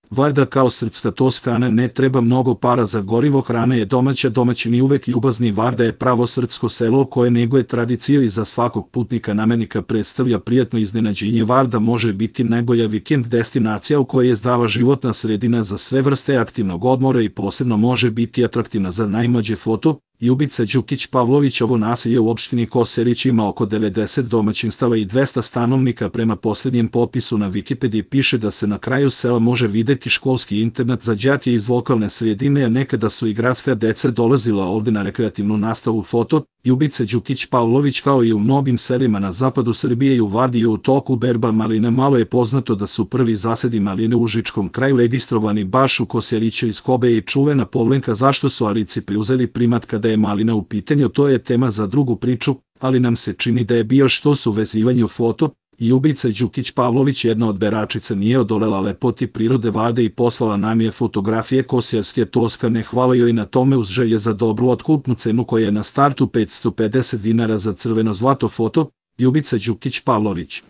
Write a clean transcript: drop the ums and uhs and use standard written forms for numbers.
Varda kao srpska Toskana ne treba mnogo para za gorivo, hrana je domaća, domaćini uvek ljubazni. Varda je pravo srpsko selo koje neguje tradiciju i za svakog putnika namenika predstavlja prijatno iznenađenje. Varda može biti najbolja vikend destinacija u kojoj je zdrava životna sredina za sve vrste aktivnog odmora i posebno može biti atraktivna za najmlađe foto. Ljubica Đukić Pavlović. Ovo naselje u opštini Kosjerić ima oko 90 domaćinstava i 200 stanovnika. Prema posljednjem popisu na Wikipediji piše da se na kraju sela može videti školski internat za đake iz lokalne sredine, a nekada su i gradska deca dolazila ovde na rekreativnu nastavu. Foto Ljubice Đukić Pavlović. Kao i u mnogim selima na zapadu Srbije i u Vardi je u toku berba maline. Malo je poznato da su prvi zasedi maline u Užičkom kraju registrovani baš u Kosjeriću iz Kobe i čuvena Povlenka. Zašto su Arici preuzeli primat kada je malina u pitanju, to je tema za drugu priču, ali nam se čini da je bio što su vezivanju. Foto Ljubica Đukić Pavlović. Jedna od beračica nije odolela lepoti prirode Varde i poslala nam je fotografije kosjerske Toskane. Hvala joj na tome uz želje za dobru otkupnu cenu koja je na startu 550 dinara za crveno zlato. Foto Ljubica Đukić Pavlović.